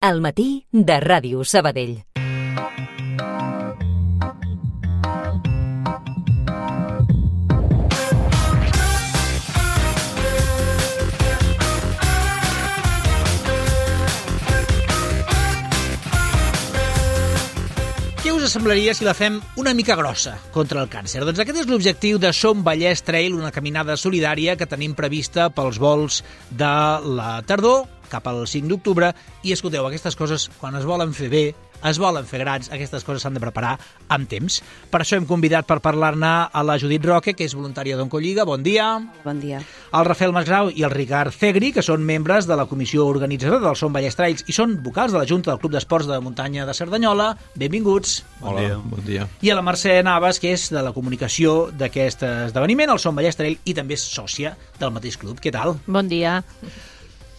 Al matí de Ràdio Sabadell. Què us semblaria si la fem una mica grossa contra el càncer? Doncs aquest és l'objectiu de Som Vallès Trail, una caminada solidària que tenim prevista pels vols de la tardor cap al 5 d'octubre. I escolteu, aquestes coses, quan es volen fer bé, es volen fer grans, aquestes coses s'han de preparar amb temps. Per això hem convidat per parlar-ne a la Judit Roque, que és voluntària d'Oncolliga. Bon dia. Bon dia. El Rafael Masgrau i el Ricard Cegri, que són membres de la comissió organitzadora del Som Vallès Trails i són vocals de la Junta del Club d'Esports de Muntanya de Cerdanyola. Benvinguts. Hola, bon dia. I a la Mercè Navas, que és de la comunicació d'aquest esdeveniment, el Som Vallès Trail, i també és sòcia del mateix club. Què tal? Bon dia.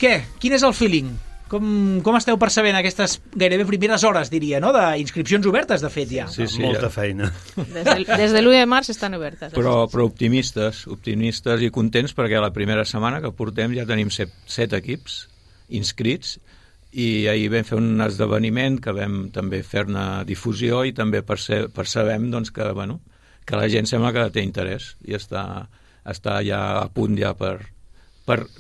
Què? Quin és el feeling? Com esteu percebent aquestes gairebé primeres hores, diria, no? D'inscripcions obertes, de fet, ja. Sí, Molta feina. Des de l'1 de març estan obertes. Però optimistes i contents perquè la primera setmana que portem ja tenim 7 equips inscrits i ahir vam fer un esdeveniment que vam també fer-ne difusió i també percebem doncs, que la gent sembla que té interès i està ja a punt ja per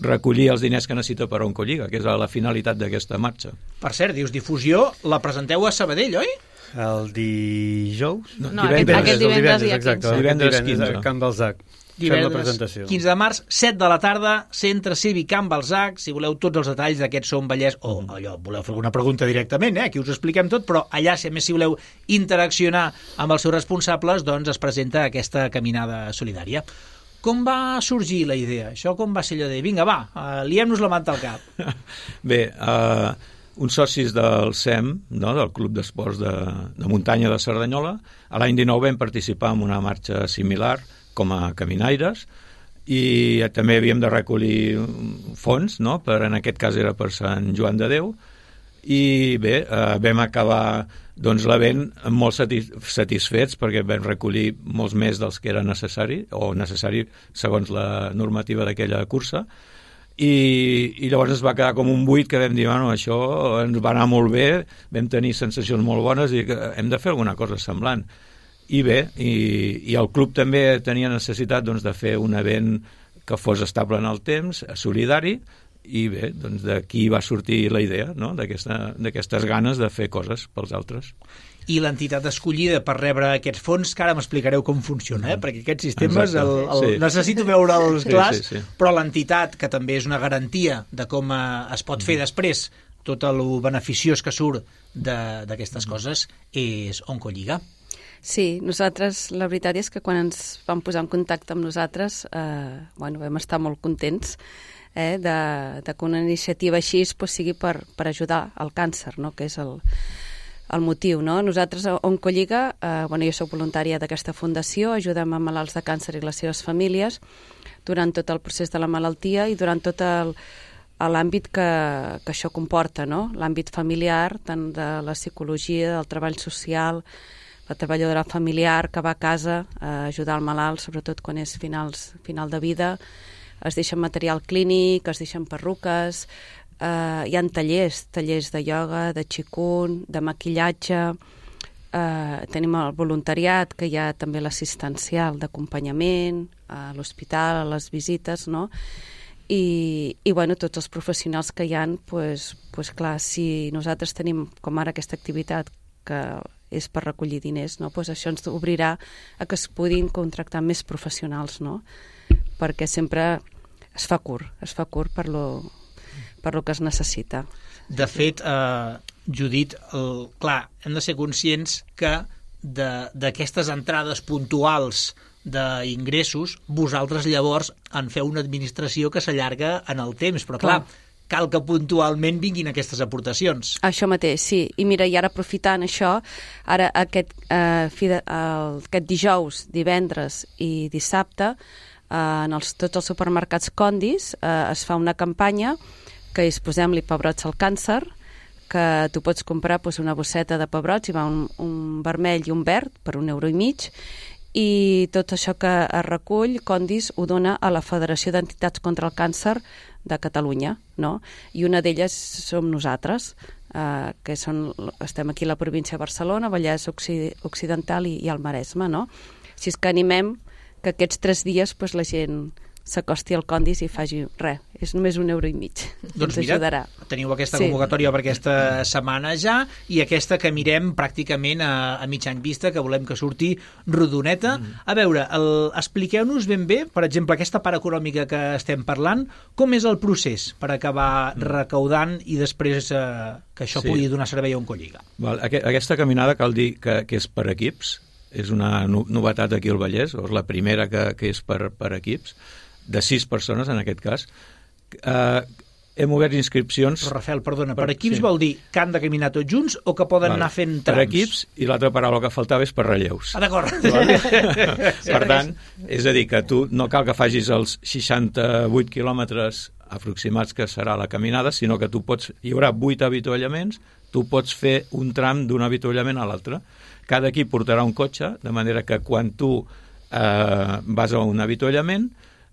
recollir els diners que necessita per a Oncolliga, que és la finalitat d'aquesta marxa. Per cert, dius difusió, la presenteu a Sabadell, oi? El dijous? No, aquest divendres dia 15. Divendres 15. A Can Balzac. Fem la presentació. 15 de març, 7 de la tarda, Centre Cívic Can Balzac. Si voleu tots els detalls d'aquest Som Vallès, o allò, voleu fer alguna pregunta directament, aquí us ho expliquem tot, però allà, si a més si voleu interaccionar amb els seus responsables, doncs es presenta aquesta caminada solidària. Com va sorgir la idea? Això com va ser allò de, vinga, va, liem-nos la manta al cap? Bé, uns socis del SEM, no, del Club d'Esports de Muntanya de Cerdanyola, a l'any 19 vam participar en una marxa similar com a caminaires i també havíem de recollir fons, no? En aquest cas era per Sant Joan de Déu, i bé, vam acabar l'event molt satisfets perquè vam recollir molts més dels que era necessari segons la normativa d'aquella cursa i llavors es va quedar com un buit que vam dir, això ens va anar molt bé, vam tenir sensacions molt bones i que hem de fer alguna cosa semblant i bé, i el club també tenia necessitat de fer un event que fos estable en el temps, solidari. I bé, doncs d'aquí va sortir la idea, no? D'aquestes ganes de fer coses pels altres. I l'entitat escollida per rebre aquests fons, que ara m'explicareu com funciona, perquè aquests sistemes, necessito veure'ls clars, sí. Però l'entitat, que també és una garantia de com es pot fer després tot el beneficiós que surt d'aquestes coses, és Oncolliga. Sí, nosaltres, la veritat és que quan ens vam posar en contacte amb nosaltres, vam estar molt contents de que una iniciativa així sigui per ajudar al càncer, no? Que és el motiu. No? Nosaltres a Oncolliga, jo soc voluntària d'aquesta fundació, ajudem a malalts de càncer i les seves famílies durant tot el procés de la malaltia i durant tot l'àmbit que això comporta, no? L'àmbit familiar, tant de la psicologia, del treball social, la treballadora familiar que va a casa a ajudar el malalt, sobretot quan és final de vida. Es deixen material clínic, es deixen perruques, hi ha tallers de ioga, de qigong, de maquillatge, tenim el voluntariat, que hi ha també l'assistencial d'acompanyament, a l'hospital, a les visites, no? I tots els professionals que hi ha, clar, si nosaltres tenim com ara aquesta activitat que és per recollir diners, no? Això ens obrirà a que es puguin contractar més professionals, no? Perquè sempre es fa curt per lo que es necessita. De fet, Judit, clar, hem de ser conscients que d'aquestes entrades puntuals d'ingressos, vosaltres llavors en feu una administració que s'allarga en el temps, però clar, cal que puntualment vinguin aquestes aportacions. Això mateix, sí. I mira, i ara aprofitant això, ara aquest dijous, divendres i dissabte, en tots els supermercats Condis es fa una campanya que és posem-li pebrots al càncer, que tu pots comprar una bosseta de pebrots, hi va un vermell i un verd per €1,50, i tot això que es recull, Condis ho dona a la Federació d'Entitats contra el Càncer de Catalunya, no? I una d'elles som nosaltres, que estem aquí a la província de Barcelona, Vallès Occidental i el Maresme, no? Així que animem que aquests 3 dies la gent s'acosti al Condis i faci res. És només €1,50. Doncs ens ajudarà. Teniu aquesta convocatòria per aquesta setmana ja, i aquesta que mirem pràcticament a mig any vista, que volem que surti rodoneta. A veure, expliqueu-nos ben bé, per exemple, aquesta part econòmica que estem parlant, com és el procés per acabar recaudant i després que això pugui donar servei a Oncolliga? Aquesta caminada cal dir que és per equips, és una novetat aquí al Vallès, és la primera que és per equips, de 6 persones en aquest cas. Hem obert inscripcions... Però, Rafael, perdona, per equips vol dir que han de caminar tots junts o que poden anar fent trams? Per equips, i l'altra paraula que faltava és per relleus. D'acord. Per tant, és a dir, que tu no cal que facis els 68 quilòmetres aproximats que serà la caminada, sinó que hi haurà 8 avituallaments, tu pots fer un tram d'un avituallament a l'altre. Cada equip portarà un cotxe, de manera que quan tu vas a un avituallament,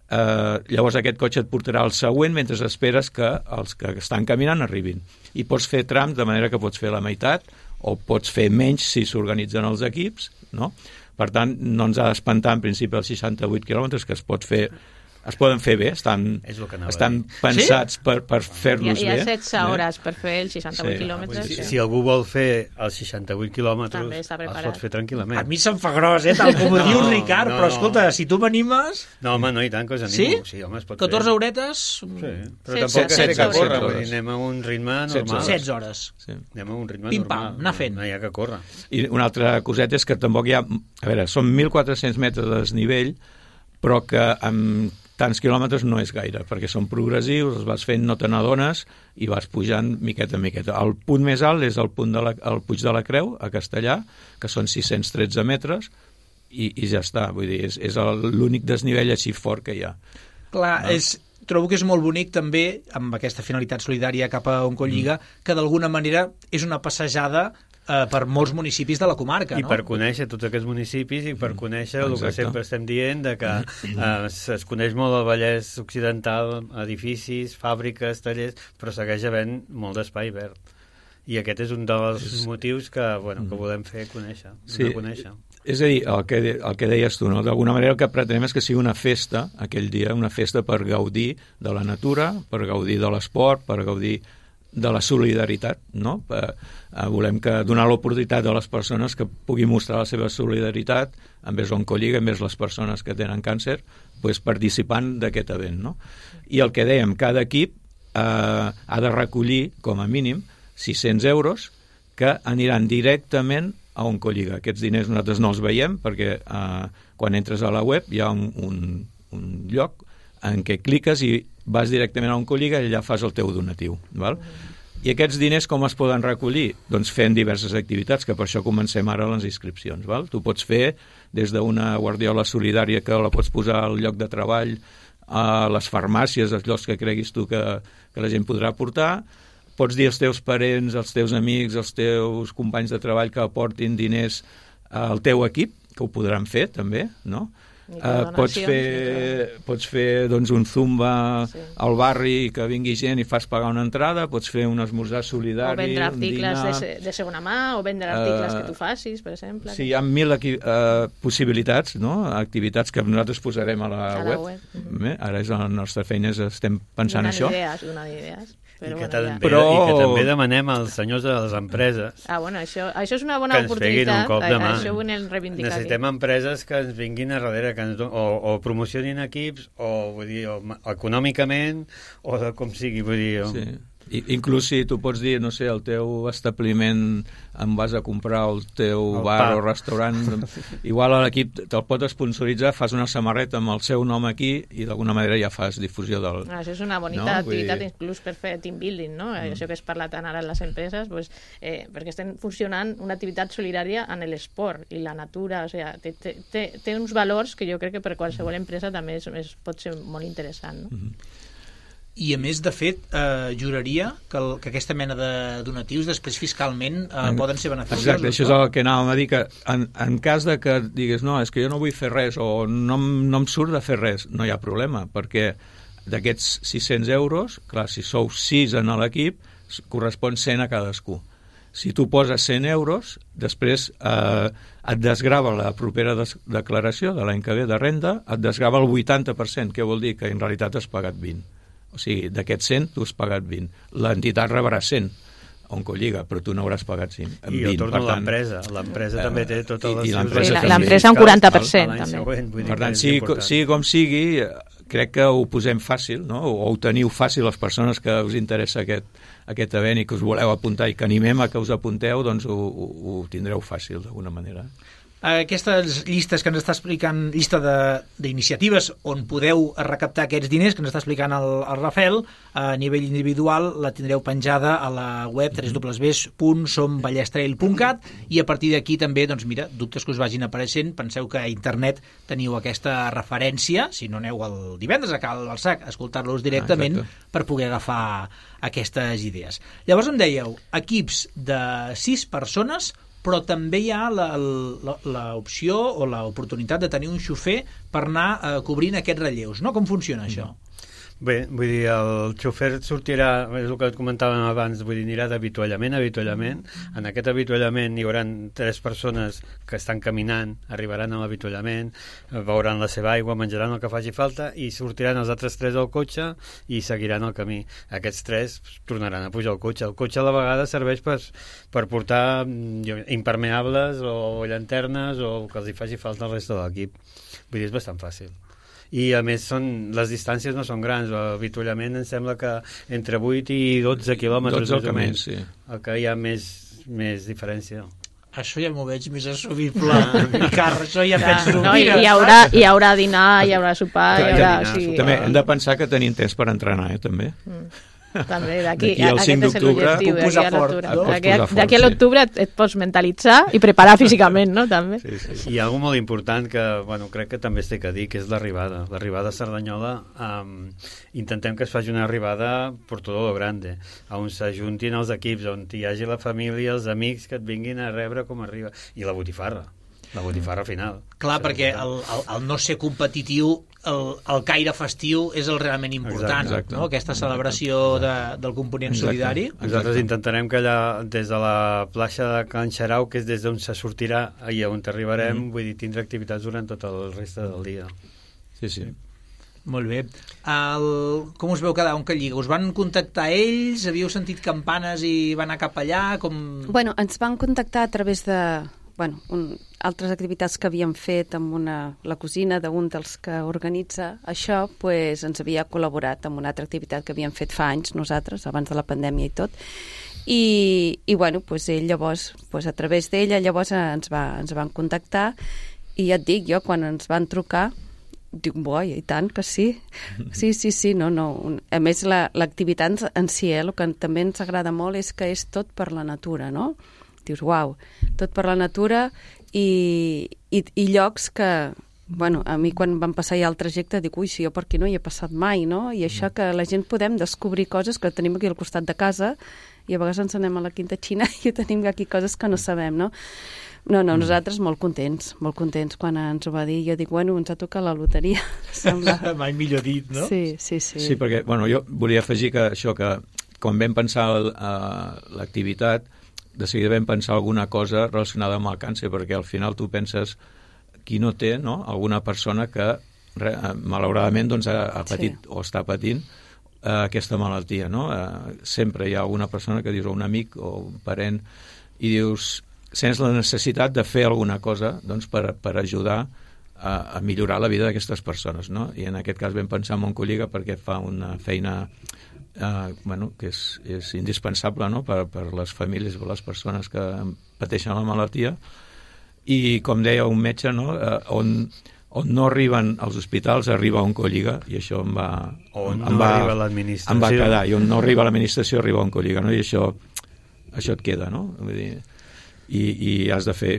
llavors aquest cotxe et portarà el següent mentre esperes que els que estan caminant arribin. I pots fer trams, de manera que pots fer la meitat o pots fer menys si s'organitzen els equips, no? Per tant, no ens ha d'espantar en principi els 68 quilòmetres, que es poden fer bé, estan pensats per fer-los bé. Hi ha 16 hores per fer els 68 quilòmetres. Si algú vol fer els 68 quilòmetres, els pot fer tranquil·lament. A mi se'm fa gros, tal com ho diu Ricard, però escolta, si tu m'animes... No, home, no, i tant que us animo. Sí, home, es pot fer. 14 horetes? Sí, però tampoc és que córrer, anem a un ritme normal. 16 hores. Anem a un ritme normal. Pim-pam, anar fent. No hi ha que córrer. I una altra coseta és que tampoc hi ha... A veure, són 1.400 metres de desnivell, però que amb tants quilòmetres no és gaire, perquè són progressius, els vas fent, no te n'adones, i vas pujant miqueta en miqueta. El punt més alt és el Puig de la Creu, a Castellà, que són 613 metres, i ja està. Vull dir, és l'únic desnivell així fort que hi ha. Clar, trobo que és molt bonic també, amb aquesta finalitat solidària cap a Oncolliga, que d'alguna manera és una passejada per molts municipis de la comarca, no? I per conèixer tots aquests municipis i per conèixer el que sempre estem dient, de que es coneix molt el Vallès Occidental, edificis, fàbriques, tallers, però segueix havent molt d'espai verd. I aquest és un dels motius que volem fer conèixer. És a dir, el que deies tu, no? D'alguna manera el que pretenem és que sigui una festa, aquell dia, una festa per gaudir de la natura, per gaudir de l'esport, per gaudir de la solidaritat, no? Volem donar l'oportunitat a les persones que puguin mostrar la seva solidaritat envers Oncolliga, envers les persones que tenen càncer, participant d'aquest event, no? I el que dèiem, cada equip ha de recollir, com a mínim, 600 euros que aniran directament a Oncolliga. Aquests diners nosaltres no els veiem perquè quan entres a la web hi ha un lloc en què cliques i vas directament a Oncolliga i allà fas el teu donatiu. Val? I aquests diners com es poden recollir? Doncs fent diverses activitats, que per això comencem ara les inscripcions. Val? Tu pots fer des d'una guardiola solidària que la pots posar al lloc de treball, a les farmàcies, als llocs que creguis tu que la gent podrà portar. Pots dir als teus parents, als teus amics, als teus companys de treball que aportin diners al teu equip, que ho podran fer també, no? Pots fer doncs, un zumba al barri que vingui gent i fas pagar una entrada, pots fer un esmorzar solidari, o vendre articles de segona mà, o vendre articles que tu facis, per exemple. Sí, hi ha 1.000 possibilitats, no? Activitats que nosaltres posarem a la web. Ara és la nostra feina, estem pensant això. Donar idees. I que també demanem als senyors de les empreses això és una bona oportunitat, això ho anem reivindicant. Necessitem empreses que ens vinguin a darrere, que o promocionin equips, o econòmicament, o com sigui, vull dir... Sí. Inclús si tu pots dir, no sé, el teu establiment em vas a comprar el teu bar o restaurant, igual a l'equip te'l pot sponsoritzar, fas una samarreta amb el seu nom aquí i d'alguna manera ja fas difusió del... Això és una bonita activitat, inclús per fer team building, no? Això que es parla tant ara en les empreses, perquè estem funcionant una activitat solidària en l'esport i la natura, o sigui, té uns valors que jo crec que per qualsevol empresa també pot ser molt interessant, no? I, a més, de fet, juraria que aquesta mena de donatius després fiscalment poden ser beneficiosos. Exacte, això és el que anàvem a dir, que en cas de que digues no, és que jo no vull fer res o no em surt de fer res, no hi ha problema, perquè d'aquests 600 euros, clar, si sou 6 en l'equip, correspon 100 a cadascú. Si tu poses 100 euros, després et desgrava la propera declaració de l'any que ve de renda, et desgrava el 80%, que vol dir que en realitat has pagat 20. O sigui, d'aquests 100 tu has pagat 20. L'entitat rebrà 100, Oncolliga, però tu no hauràs pagat 20. I jo torno a l'empresa. L'empresa també té totes les... L'empresa un 40%, també. Per tant, sigui com sigui, crec que ho posem fàcil, no? O ho teniu fàcil les persones que us interessa aquest event i que us voleu apuntar i que animem a que us apunteu, doncs ho tindreu fàcil d'alguna manera. Aquestes llistes que ens està explicant, llista d'iniciatives on podeu recaptar aquests diners que ens està explicant el Rafael, a nivell individual la tindreu penjada a la web www.somballestrail.cat i a partir d'aquí també, doncs mira, dubtes que us vagin apareixent, penseu que a internet teniu aquesta referència, si no aneu el divendres a Cal Balsac a escoltar-los directament per poder agafar aquestes idees. Llavors em dèieu, equips de 6 persones, però també hi ha l'opció o l'oportunitat de tenir un xofer per anar cobrint aquests relleus, no? Com funciona això? Bé, vull dir, el xofer sortirà, és el que comentàvem abans, vull dir, anirà d'avituallament a avituallament. En aquest avituallament hi haurà 3 persones que estan caminant, arribaran a l'avituallament, beuran la seva aigua, menjaran el que faci falta i sortiran els altres 3 al cotxe i seguiran el camí. Aquests 3 tornaran a pujar al cotxe. El cotxe a la vegada serveix per portar impermeables o llanternes o el que els hi faci falta al resta de l'equip. Vull dir, és bastant fàcil. I a més les distàncies no són grans, l'avituallament em sembla que entre 8 i 12 quilòmetres 12 al camí, sí. El que hi ha més diferència. Això ja m'ho veig més assumible, Carles, això ja penso... No, hi haurà dinar, hi haurà sopar... També hem de pensar que tenim temps per entrenar, també. També, d'aquí al 5 d'octubre puc posar fort, no? D'aquí a l'octubre et pots mentalitzar i preparar físicament, no? També. Sí. Hi ha alguna molt important que, bueno, crec que també es té que dir, que és l'arribada. L'arribada a Cerdanyola, intentem que es faci una arribada per tot lo grande, on s'ajuntin els equips, on hi hagi la família, els amics que et vinguin a rebre com arriba. I la botifarra final. Clar, perquè el no ser competitiu, el caire festiu és el realment important, exacte. No? Aquesta celebració del component solidari. Nosaltres intentarem que allà, des de la plaça de Can Xarau, que és des d'on se sortirà i on arribarem, vull dir, tindre activitats durant tot el reste del dia. Sí. Molt bé. Com us veu quedar Oncolliga? Us van contactar ells? Havíeu sentit campanes i van anar cap allà? Bueno, ens van contactar a través de... altres activitats que havíem fet amb la cosina d'un dels que organitza això, pues, ens havia col·laborat amb una altra activitat que havíem fet fa anys nosaltres, abans de la pandèmia i tot, i bueno, pues, ell llavors, pues, a través d'ella llavors ens van contactar i ja et dic, jo quan ens van trucar dic, boi, i tant que sí. Sí, no. A més, l'activitat en si, el que també ens agrada molt és que és tot per la natura, no? Dius, uau, tot per la natura i llocs que, bueno, a mi quan vam passar ja el trajecte dic, ui, si jo per aquí no hi he passat mai, no? I això que la gent podem descobrir coses que tenim aquí al costat de casa i a vegades ens anem a la Quinta Xina i tenim aquí coses que no sabem, no? No, nosaltres molt contents quan ens ho va dir. Jo dic, bueno, ens ha tocat la loteria. Mai millor dit, no? Sí. Sí, perquè, bueno, jo volia afegir que això, que quan vam pensar l'activitat, de seguida vam pensar alguna cosa relacionada amb el càncer, perquè al final tu penses qui no té, no? Alguna persona que malauradament doncs, ha patit o està patint aquesta malaltia, no? Sempre hi ha alguna persona que dius, o un amic o un parent, i dius, sents la necessitat de fer alguna cosa doncs, per ajudar a millorar la vida d'aquestes persones, no? I en aquest cas vam pensar en Oncolliga perquè fa una feina que és indispensable, no? per les famílies, per les persones que pateixen la malaltia, i com deia un metge, no? on no arriben als hospitals arriba Oncolliga, i això em va quedar, i on no arriba l'administració arriba Oncolliga, no? I això et queda, no? Vull dir, i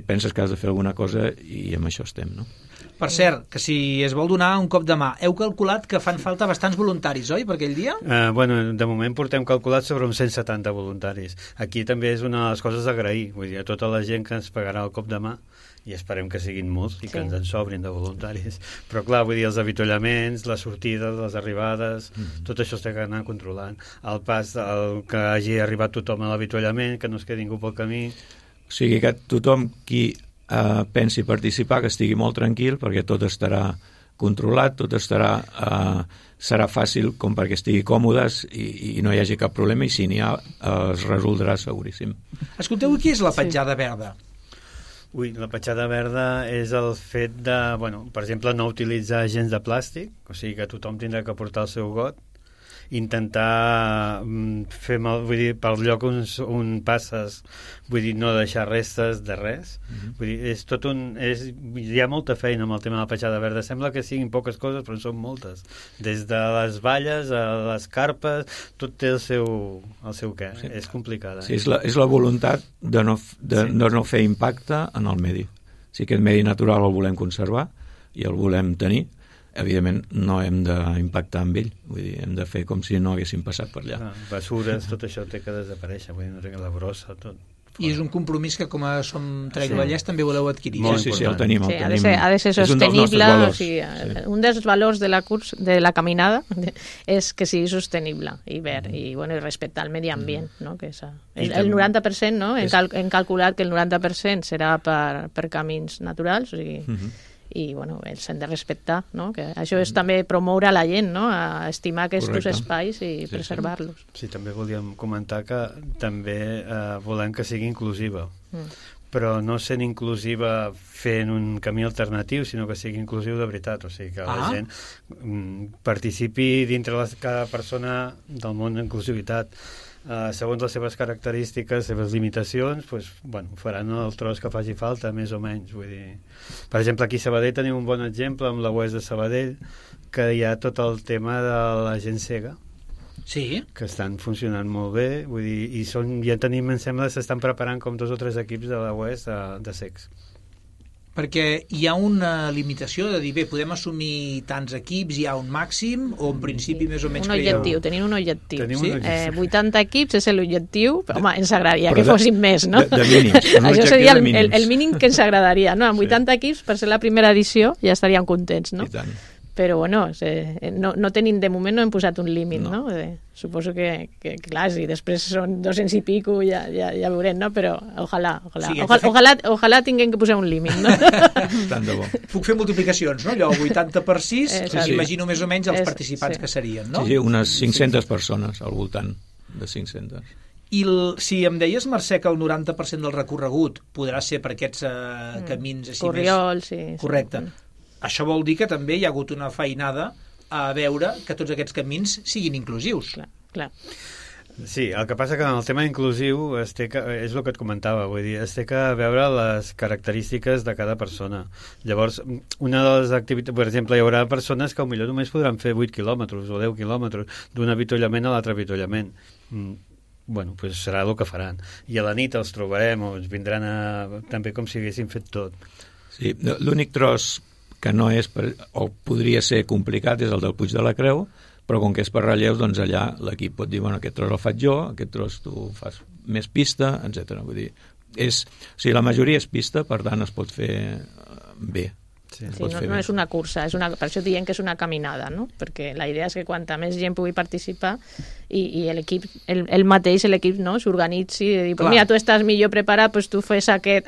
penses que has de fer alguna cosa i amb això estem, no? Per cert, que si es vol donar un cop de mà, heu calculat que fan falta bastants voluntaris, oi, per aquell dia? De moment portem calculat sobre uns 170 voluntaris. Aquí també és una de les coses d'agrair, vull dir, a tota la gent que ens pagarà el cop de mà, i esperem que siguin molts i que ens en sobrin de voluntaris. Però clar, vull dir, els avituallaments, les sortides, les arribades, tot això s'ha d'anar controlant. El pas, que hagi arribat tothom a l'avituallament, que no es quedi ningú pel camí. O sigui que tothom qui pensi participar, que estigui molt tranquil, perquè tot estarà controlat, tot serà fàcil com perquè estigui còmodes i no hi hagi cap problema, i si n'hi ha es resoldrà seguríssim. Escolteu, què és la petjada verda? La petjada verda és el fet de, per exemple, no utilitzar gens de plàstic, o sigui que tothom tindrà que portar el seu got, intentar fer vull dir, per lloc on passes, vull dir, no deixar restes de res. Vull dir, és tot hi ha molta feina amb el tema de la petjada verda. Sembla que siguin poques coses, però són moltes. Des de les valles a les carpes, tot té el seu què. Sí. És complicada. Sí, és la voluntat de no fer impacte en el medi. Si aquest medi natural el volem conservar i el volem tenir, evidentment no hem d'impactar amb ell, vull dir, hem de fer com si no haguéssim passat per allà. Basures, tot això té que desaparèixer, vull dir, no té que la brossa, tot. I és un compromís que com a Som Trail Vallès també voleu adquirir. Sí, el tenim. Ha de ser sostenible. Un dels valors de la caminada és que sigui sostenible i verd i respectar el medi ambient, no? Que és el 90%, no? Hem calculat que el 90% serà per camins naturals, o sigui, i els hem de respectar, no? Que això és també promoure a la gent, no? A estimar aquests espais i preservar-los. Sí, també volíem comentar que també volem que sigui inclusiva, però no sent inclusiva fent un camí alternatiu, sinó que sigui inclusiu de veritat, o sigui que la gent participi dintre cada persona del món d'inclusivitat. Segons les seves característiques, seves limitacions, faran el tros que faci falta, més o menys. Vull dir. Per exemple, aquí a Sabadell tenim un bon exemple amb la UES de Sabadell, que hi ha tot el tema de la gent cega, que estan funcionant molt bé, vull dir, i ja tenim, em sembla, s'estan preparant com 2 o 3 equips de la UES de cecs. Perquè hi ha una limitació de dir, podem assumir tants equips, hi ha un màxim, o en principi més o menys tenim un objectiu. 80 equips és l'objectiu, però home, ens agradaria que fossin més, no? De mínims. Això seria el mínim que ens agradaria, no? Amb 80 equips, per ser la primera edició, ja estaríem contents, no? I tant. Però, no tenim, de moment no hem posat un límit, no? Suposo que clar, si després són 200 i pico, ja veurem, no? Però ojalà tinguem que posar un límit, no? Tant de bo. Puc fer multiplicacions, no? Allò, 80 per 6, imagino més o menys els participants que serien, no? Sí, unes 500 persones, al voltant de 500. I si em deies, Mercè, que el 90% del recorregut podrà ser per aquests camins així Corriols, més... Correcte. Això vol dir que també hi ha hagut una feinada a veure que tots aquests camins siguin inclusius. Clar. Sí, el que passa que en el tema inclusiu és el que et comentava, vull dir, es té que veure les característiques de cada persona. Llavors, una de les activitats, per exemple, hi haurà persones que potser només podran fer 8 quilòmetres o 10 quilòmetres d'un avituallament a l'altre avituallament. Serà el que faran. I a la nit els trobarem o ens vindran també com si haguessin fet tot. Sí, l'únic tros que no és, o podria ser complicat, és el del Puig de la Creu, però com que és per relleus, doncs allà l'equip pot dir, aquest tros el faig jo, aquest tros tu fas més pista, etc. Vull dir, la majoria és pista, per tant es pot fer bé. Sí, no és una cursa, per això diem que és una caminada, no? Perquè la idea és que quanta més gent pugui participar i l'equip, l'equip no? S'organitzi i dir, mira, tu estàs millor preparat, doncs tu fes aquell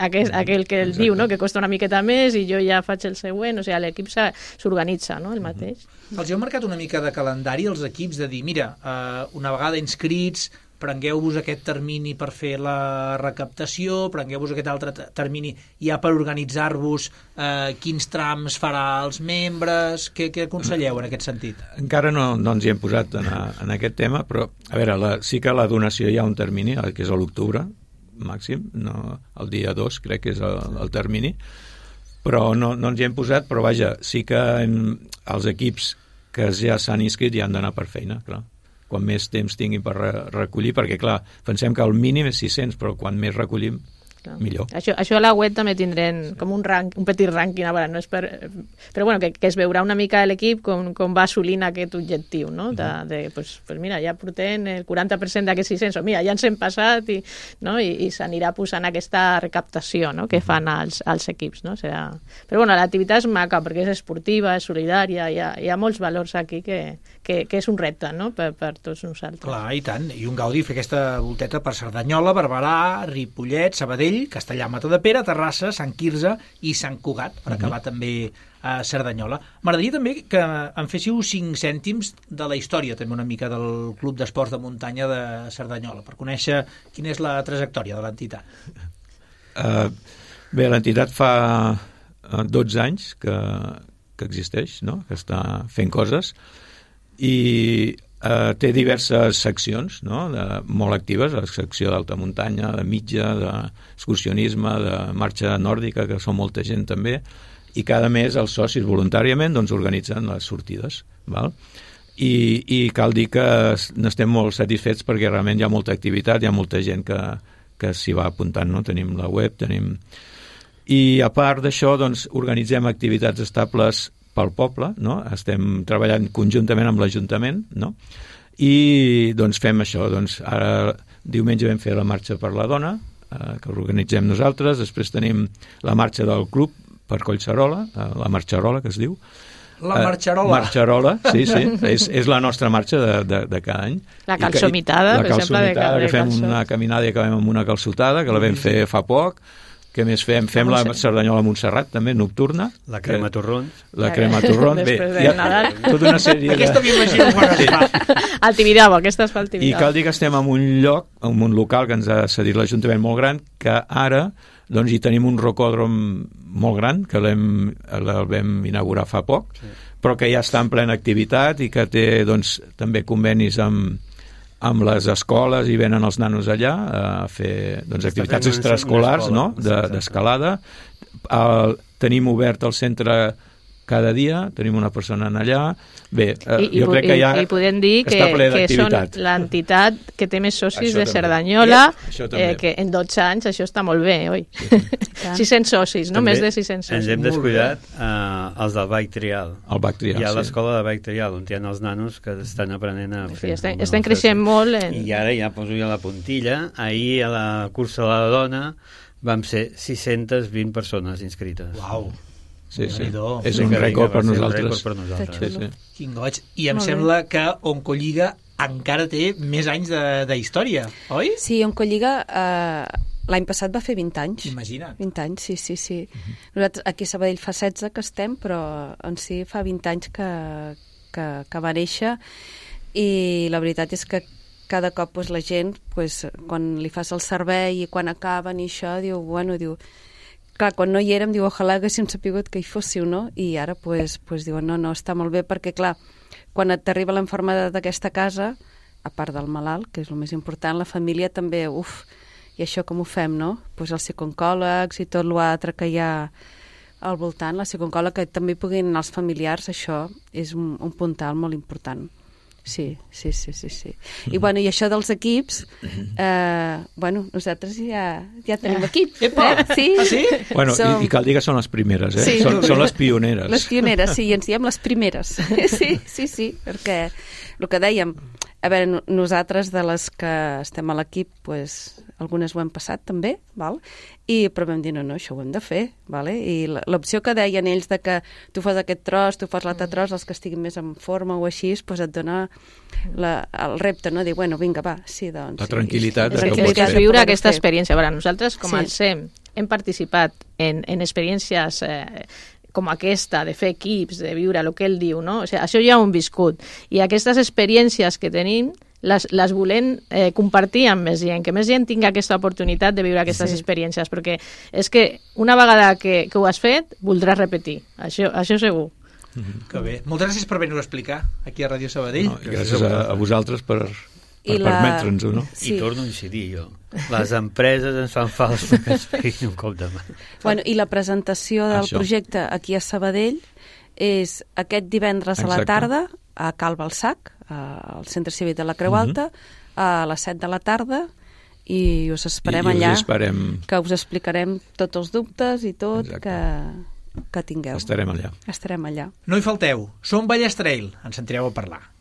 que el diu, no? Que costa una miqueta més i jo ja faig el següent, o sigui, l'equip s'organitza, no? El mateix. Els heu marcat una mica de calendari els equips de dir, mira, una vegada inscrits, prengueu-vos aquest termini per fer la recaptació, prengueu-vos aquest altre termini ja per organitzar-vos quins trams farà els membres, què aconselleu en aquest sentit? Encara no ens hi hem posat en aquest tema, però a veure, sí que la donació hi ha un termini, que és a l'octubre màxim, el dia 2 crec que és el termini, però no ens hi hem posat, però vaja, sí que els equips que ja s'han inscrit ja han d'anar per feina, clar. Quan més temps tinguin per recollir, perquè clar, pensem que el mínim és 600, però quan més recollim, millor. Això a la web també tindrem com un petit rànquing, a veure, no és però bueno, que es veurà una mica l'equip com va assolint aquest objectiu, no? Pues mira, ja portem el 40% d'aquests 600, o mira, ja ens hem passat i s'anirà posant aquesta recaptació, no? Que fan els equips, no? Però bueno, l'activitat és maca perquè és esportiva, és solidària, hi ha molts valors aquí que és un repte, no? Per tots nosaltres. Clar, i tant, i un gaudi fer aquesta volteta per Cerdanyola, Barberà, Ripollet, Sabadell, Castellà, Matadepera, Terrassa, Sant Quirze i Sant Cugat, per acabar també a Cerdanyola. M'agradaria també que em féssiu 5 cèntims de la història, també una mica, del Club d'Esports de Muntanya de Cerdanyola, per conèixer quina és la trajectòria de l'entitat. Bé, l'entitat fa 12 anys que existeix, no? Que està fent coses, i té diverses seccions, no? Molt actives, la secció d'alta muntanya, de mitja, d'excursionisme, de marxa nòrdica, que són molta gent també, i cada mes els socis voluntàriament organitzen les sortides, val? I cal dir que n'estem molt satisfets perquè realment hi ha molta activitat, hi ha molta gent que s'hi va apuntant, no? Tenim la web, I a part d'això, organitzem activitats estables pel poble, no? Estem treballant conjuntament amb l'Ajuntament, no? I fem això, ara diumenge vam fer la marxa per la dona, que organitzem nosaltres, després tenim la marxa del club per Collserola, la Marxarola, que es diu. La Marxarola. Marxarola, sí, és la nostra marxa de cada any. La calçomitada, per exemple. La calçomitada, que fem una caminada i acabem amb una calçotada, que la vam fer fa poc. Què més fem? Fem la Cerdanyola Montserrat, també, nocturna. La crema torrons. La crema torrons. Després de Nadal. Tota una sèrie Aquesta m'imagino quan es fa. Al Tibidabo, aquesta es fa al Tibidabo. I cal dir que estem en un lloc, en un local que ens ha cedit l'Ajuntament molt gran, que ara hi tenim un rocòdrom molt gran, que el vam inaugurar fa poc, però que ja està en plena activitat i que té també convenis amb les escoles i venen els nanos allà a fer activitats extraescolars, no? D'escalada. Tenim obert el centre cada dia, tenim una persona allà. Bé, jo crec que ja i podem dir està ple que són d'activitat. l'entitat que té més socis de Cerdanyola, que en 12 anys això està molt bé, oi? 600 socis, no? Més de 600 socis. Ens hem descuidat els del Bike Trial. El Bike Trial, hi ha l'escola de Bike Trial, on hi ha els nanos que estan aprenent a fer. Estan creixent molt. I ara ja poso jo la puntilla. Ahir a la cursa de la dona vam ser 620 persones inscrites. Uau! Sí. És un rècord per nosaltres. Sí. Quin goig. I em sembla que Oncolliga encara té més anys d'història, oi? Sí, Oncolliga l'any passat va fer 20 anys. Imagina't. 20 anys, sí. Nosaltres aquí a Sabadell fa 16 que estem, però en si fa 20 anys que va néixer, i la veritat és que cada cop la gent, quan li fas el servei i quan acaben i això, diu, clar, quan no hi érem, diu, ojalà haguéssim sapigut que hi fóssiu, no? I ara, diuen, no, està molt bé, perquè, clar, quan t'arriba l'enfermedat d'aquesta casa, a part del malalt, que és el més important, la família també, i això com ho fem, no? Els psicooncòlegs i tot l'altre que hi ha al voltant, la psicooncòleg, que també puguin anar els familiars, això és un puntal molt important. Sí. I això dels equips, nosaltres ja tenim equip. Sí? Ah, sí? Bueno, i cal dir que són les primeres, eh? Sí. Són les pioneres. Les pioneres, sí, ens diem les primeres. Sí, perquè el que dèiem, a veure, nosaltres de les que estem a l'equip, algunes ho hem passat també, val? Però vam dir, no, això ho hem de fer, vale? I l'opció que deien ells de que tu fas aquest tros, tu fas l'altre tros, els que estiguin més en forma o així, et dona el repte, no? Dir, vinga, va, sí, doncs... La tranquil·litat. És viure aquesta experiència. A veure, nosaltres, com el SEM, hem participat en experiències com aquesta, de fer equips, de viure el que ell diu, no? O sigui, això ja ho hem viscut. I aquestes experiències que tenim les volem compartir amb més gent, que més gent tingui aquesta oportunitat de viure aquestes experiències, perquè és que una vegada que ho has fet, voldràs repetir, això segur. Que bé. Moltes gràcies per venir-ho a explicar aquí a Ràdio Sabadell. Gràcies a vosaltres per permetre'ns-ho, no? I torno a incidir jo. Les empreses ens fan falta que ens peguin un cop de mà. I la presentació del projecte aquí a Sabadell és aquest divendres a la tarda a Cal Balsac, al Centre Cívic de la Creu Alta, a les 7 de la tarda, i us esperem I allà, us esperem. que us explicarem tots els dubtes i tot que tingueu. Estarem allà. Estarem allà. No hi falteu, Som Vallès Trail, ens sentireu a parlar.